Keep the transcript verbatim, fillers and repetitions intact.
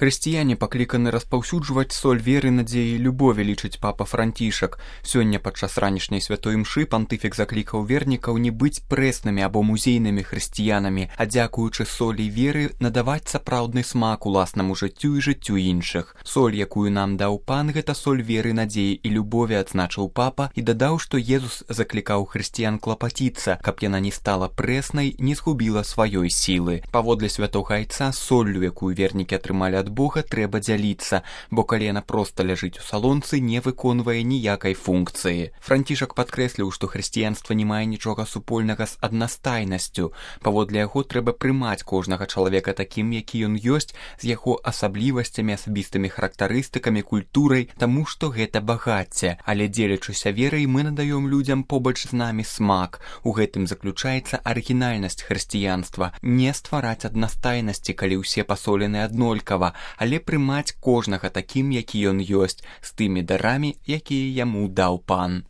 Хрысціяне пакліканы распаўсюджваць соль веры, надзеі і любові, лічыць папа Францішак. Сёння падчас ранішняй святой імшы пантыфік заклікаў вернікаў не быць прэснымі або музейнымі хрысціянамі, а дзякуючы солі веры надаваць сапраўдны смак уласнаму жыццю і жыццю іншых. Соль, якую нам даў пан, гэта соль веры, надзеі і любові, адзначыў папа і дадаў, што Езус заклікаў хрысціян клапаціцца, каб яна не стала прэснай, не згубіла сваёй сілы. Паводле святога айца, соллю, якую вернікі атрымалі ад Бога, трэба дзяліцца, бо калі яна проста ляжыць у салонцы, не выконвае ніякай функцыі. Францішак падкрэсліў, што хрысціянства не мае нічога супольнага з аднастайнасцю. Паводле яго трэба прымаць кожнага чалавека такім, які ён ёсць, з яго асаблівасцямі, асабістымі характарыстыкамі, культурай, таму што гэта багацце. Але дзелячыся верай, мы надаём людзям побач з намі смак. У гэтым заключаецца арыгінальнасць хрысціянства. Не ствараць аднастайнасці, калі ўсе пасолены аднолькава, але прымаць кожнага такім, які ён ёсць, з тымі дарамі, якія яму даў пан.